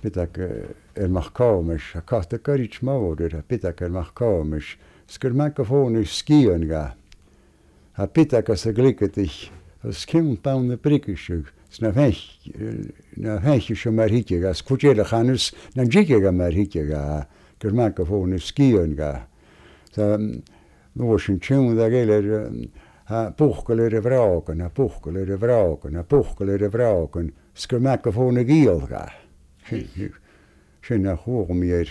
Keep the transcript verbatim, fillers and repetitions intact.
B'fhéidir ar machcámas a casta cuirit mór ar b'fhéidir ar machcámas, sgur me go fóna scian ga. A b'fhéidir sa glicadich as cim ban na brige sna na heche sem mar hitte as kuchéle chanus na jige ga mar hitte ga gur me go fóna scian ga. Nó sin tún da géile ha buchgal ar a bhrágan, a buchgal ar a bhrágan, a buchgal ar a bhrágan, sgur me go fóna gíol ga. Sin a chuam ar